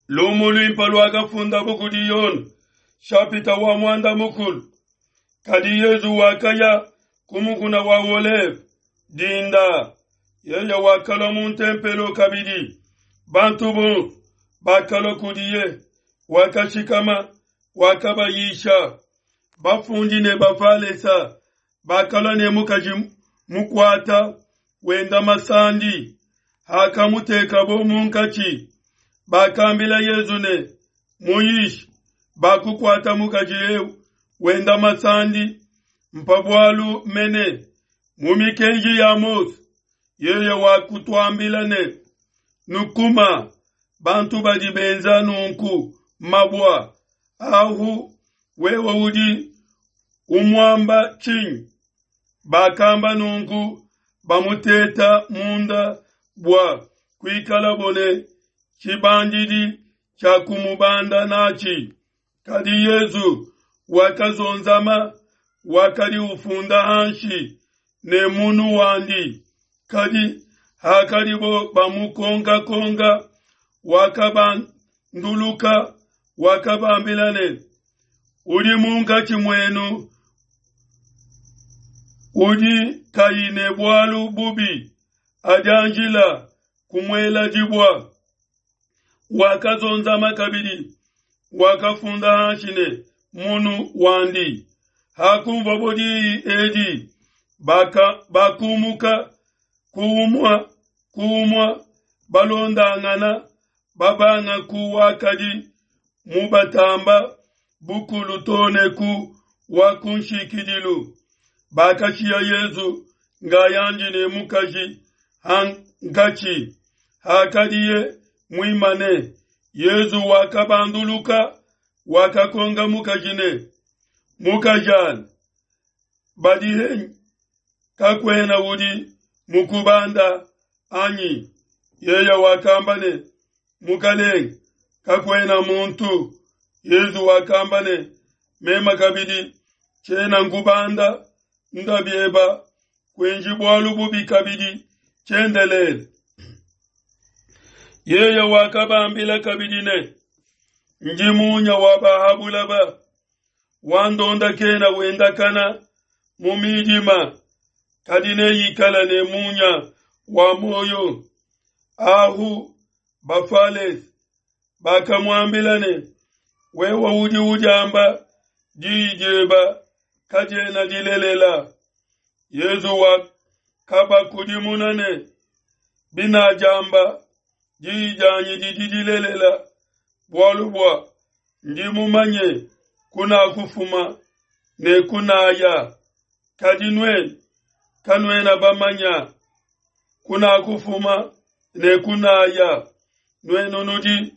Lumu luimpe luakafundabo kudi Yone, shapita wa muanda mukulu. Kadi Yezu wakaya ku mukuna wa Oleve dinda. Yeye wakalua mu ntempelo kabidi. Bantu bonso bakalua kudiye, wakashikama, wakabayisha. Bafundi ne Bafalesa bakalua ne mukaji mukuata wenda masandi. Hakamutekabo munkatshi, bakambila Yezu ne, Muyishi, bakukuata mukaji eu wenda masandi, mpa bualu mene mu mikenji ya Mose, yeye wakutuambila ne, Nukuma bantu badi benza nunku mabua. Ahu wewe udi umuamba tshinyi? Bakamba nunku bamuteta munda bua kuikalabo ne tshibandidi tshia kumubanda natshi. Kadi Yezu wakazonzama, wakadi ufunda hanshi ne munu wandi. Kadi hakadibo bamukonkakonka, wakabanduluka, wakabambila ne, Udi munkatshi muenu udi kayi ne bualu bubi, adianjila kumuela dibua. Wakazonzama kabidi, wakafunda hanshi ne munu wandi. Hakunvuabo diyi edi, bakumuka ku umua ku umua, balondangana, babanga ku wakadi mubatamba bukulu too ne ku wa ku nshikidilu. Bakashiya Yezu ngayandi ne mukaji hankatshi. Hakadiye muimane, Yezu wakabanduluka, wakakonga mukaji ne, Mukajanyi, badi henyi? Kakuena udi mukubanda anyi? Yeye wakamba ne, Mukalenge, kakuena muntu. Yezu wakamba ne, Meme kabidi tshiena nkubanda, nda bieba, kuenji bualu bubi kabidi tshiendelele. Yeye wakabambila kabidi ne, Ndi munya wa ba ha bulaba, wandonda kena wendakana mu midima, kadi neikala ne munya wa muoyo. Ahu Bafalese bakamuambila ne, Wewe udi udiamba, diyi dieba kadiena dilelela. Yezu wakabakudimuna ne, Binadiamba, diyi dianyi didi dilelela, bualu bua ndi mumanye kunakufuma ne kunaya, kadi nuenu kanuena bamanya kunakufuma ne kunaya. Nuenu nudi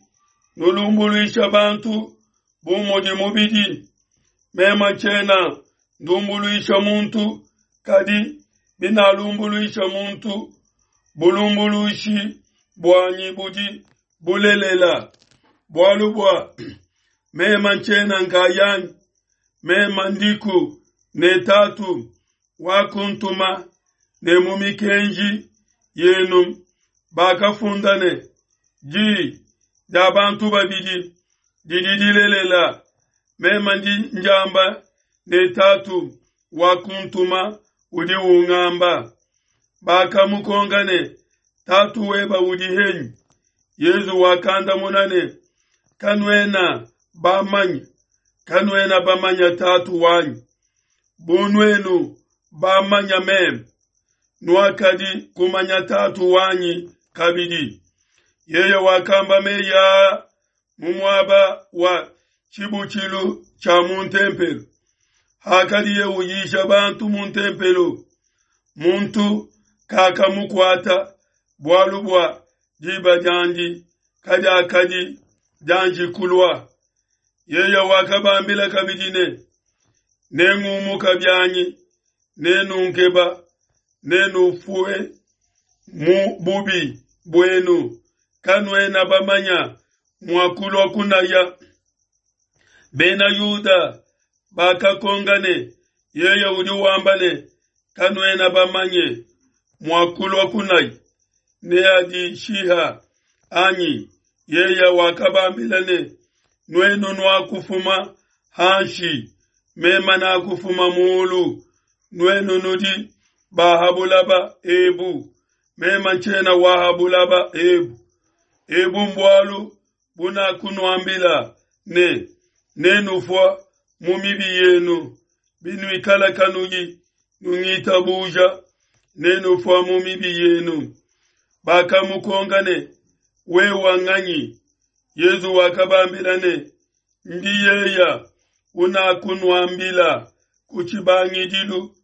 nulumbuluisha bantu bu mudi mubidi, meme tshiena ndumbuluisha muntu, kadi binalumbuluisha muntu, bulumbuluishi buanyi budi bulelela, bualu bua meme ntshiena nkayanyi, meme ndiku ne Tatu wakuntuma, ne mu mikenji yenu bakafunda ne, Diyi dia bantu babidi didi dilelela. Meme ndi njamba ne Tatu wakuntuma udi ungamba. Bakamukonka ne, Tatu weba udi henyi? Yezu wakandamuna ne, Kanuena bamanye, kanuena bamanya Tatu wanyi. Bu nuenu bamanya meme, nuakadi kumanya Tatu wanyi kabidi. Yeye wakamba meyi aa mu muaba wa tshibutshilu tshia mu ntempelo, hakadiye uyisha bantu mu ntempelo. Muntu kakamukuata, bualu bua diba diandi kadiakadi dianji kulua. Yeye wakabambila kabidi ne, Nengumuka bianyi, nenunkeba, nenufue mu bubi buenu, kanuena bamanya mua kulua kunaya. Bena Yuda bakakonka ne, Yeye udi wamba ne, Kanuena bamanye mua kulua kunaya, neadishiha anyi? Yeya wakabambila ne, Nuenu nuakufuma hanshi, mema nakufuma mulu. Nuenu nudi ba ha bulaba ebu, mema ntshiena wa ha bulaba ebu. Ebu mbualu bunakunuambila ne, Nenufua mu mibi yenu, binuikala kanuyi nungitabuja, nenufua mu mibi yenu. Bakamukonka ne, Wewa nganyi? Yezu wakabambila ne, Ndi yeya unakunuambila ku tshibangidilu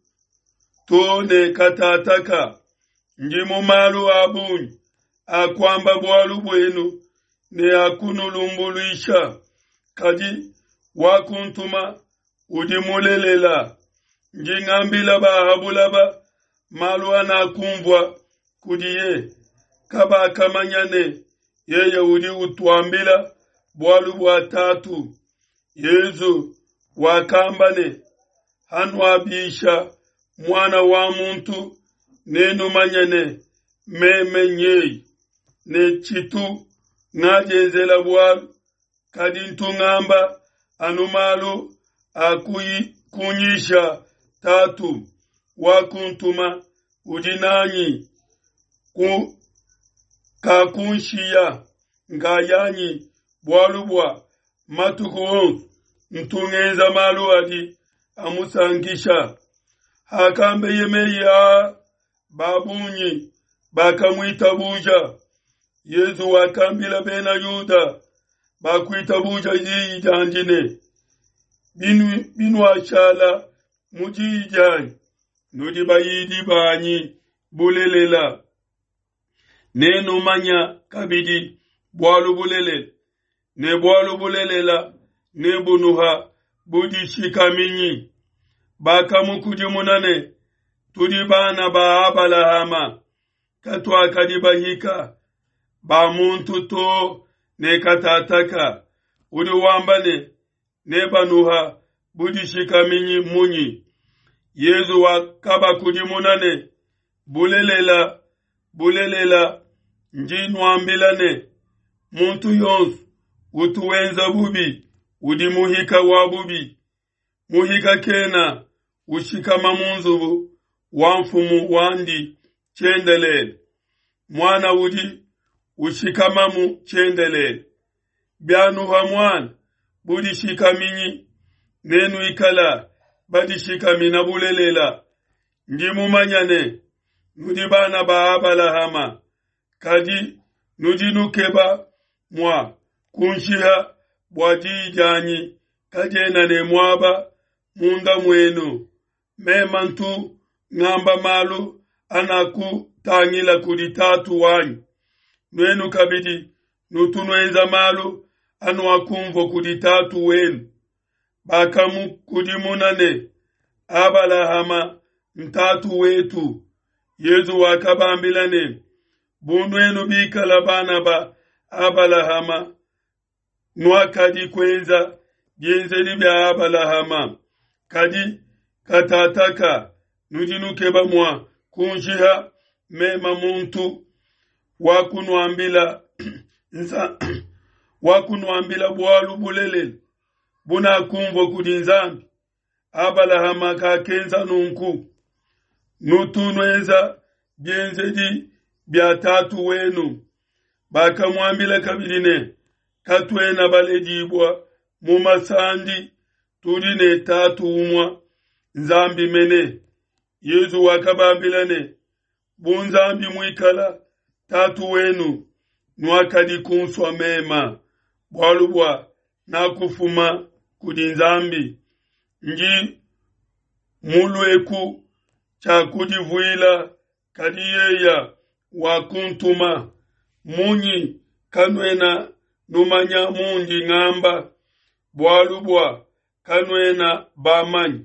to ne katataka. Ndi mu malu a bungi a kuamba bualu buenu ne a kunulumbuluisha, kadi wakuntuma udi mulelela. Ndi ngambila ba ha bulaba malu anakumvua kudiye. Kabakamanya ne yeye udi utuambila bualu bua Tatu. Yezu wakamba ne, Hanuabisha Muana wa muntu, nenumanye ne, meme nyeye, ne tshitu ngadienzela bualu, kadi ntu ngamba anu malu a kunyisha Tatu wakuntuma udi nanyi, ku kakunshiya nkayanyi, bualu bua matuku onso ntu ngenza malu adi amusankisha. Hakambeye meyi aa, ba bungi bakamuitabuja. Yezu wakambila bena Yuda bakuitabuja diyi diandi ne, Binuashala mu diyi dianyi, nudi bayidi banyi bulelela, nenumanya kabidi bualu bulelela, ne bualu bulelela nebunuha budishikaminyi. Bakamukudimuna ne, Tudi bana ba Abalahama, katuakadi bahika ba muntu to ne katataka. Udi wamba ne, Nebanuha budishikaminyi munyi? Yezu wakabakudimuna ne, Bulelela, bulelela, ndi nuambila ne, muntu yonso utu wenza bubi udi muhika wa bubi. Muhika kena ushikama mu nzubu wa mfumu wandi tshiendelele, muana udi ushikamamu tshiendelele. Bianuha muana budishikaminyi, nenuikala badishikamina bulelela. Ndi mumanya ne, nudi bana ba Abalahama, kadi nudi nukeba mua kunshiha bua diyi dianyi kadiena ne muaba munda muenu. Mema ntu ngamba malu anakutangila kudi Tatu wanyi, nuenu kabidi nutu nuenza malu anuakumvua kudi tatu wenu. Bakamukudimuna ne, Abalahama ntatu wetu. Yezu wakabambila ne, Bu nuenu bikala bana ba Abalahama, nuakadi kuenza bienzedi bia Abalahama. Kadi katataka nudi nukeba mua kunshiha mema muntu wakunuambila wakunuambila bualu bulelela bunakumvua kudi Nzambi. Abalahama kakenza nunku. Nutu nuenza bienzedi bia tatu wenu. Bakamuambila kabidi ne, Katuena baledibua mu masandi, tudi ne tatu umua, Nzambi mene. Yezu wakabambila ne, Bu Nzambi muikala tatu wenu, nuakadi kunsua mema, bualu bua nakufuma kudi Nzambi. Ndi mulueku tshiakudivuila, kadi yeya wakuntuma. Munyi kanuena numanya mundi ngamba? Bualu bua kanuena bamanye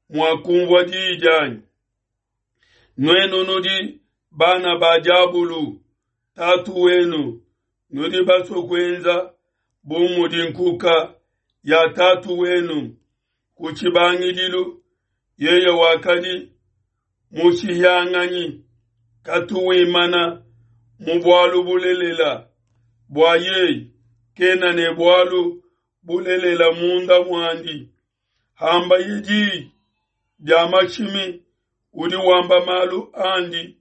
mua kumvua diyi dianyi. Nuenu nudi bana ba diabulu, tatu wenu, nudi basue kuenza bu mudi nkuka ya tatu wenu. Ku tshibangidilu yeye wakadi mushihianganyi, katu wimana mu bualu bulelela, bua yeye kena ne bualu bulelela munda muandi. Hambaye diyi dia mashimi, udi wamba malu andi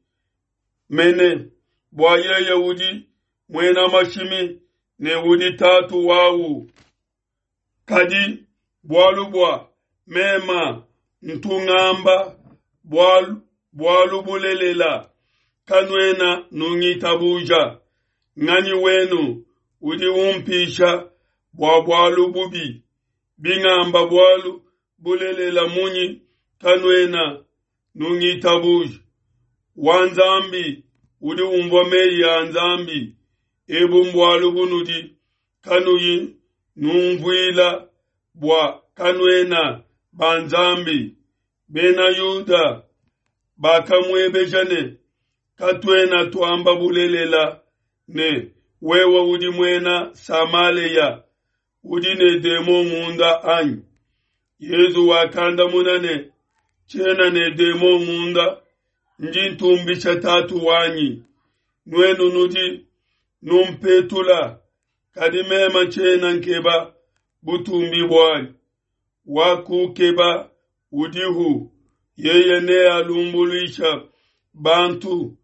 mene, bua yeye udi muena mashimi ne udi tatu wawu. Kadi bualu bua mema ntu ngamba bualu, bualu bulelela, kanuena nungitabuja. Nganyi wenu udi umpisha bua bualu bubi? Bingamba bualu bulelela munyi kanuena nungitabuja? Wa Nzambi udi umvua meyi a Nzambi. Ebu mbualu bunudi kanuyi numvuila, bua kanuena ba Nzambi. Bena Yuda bakamuebeja ne, Katuena tuamba bulelela ne, Wewe udi muena Samalea, udi ne demon munda anyi? Yezu wakandamuna ne, Tshiena ne demon munda, ndi ntumbisha Tatu wanyi. Nuenu nudi numpetula, kadi meme tshiena nkeba butumbi buanyi. Wakukeba udihu, yeye nealumbuluisha bantu.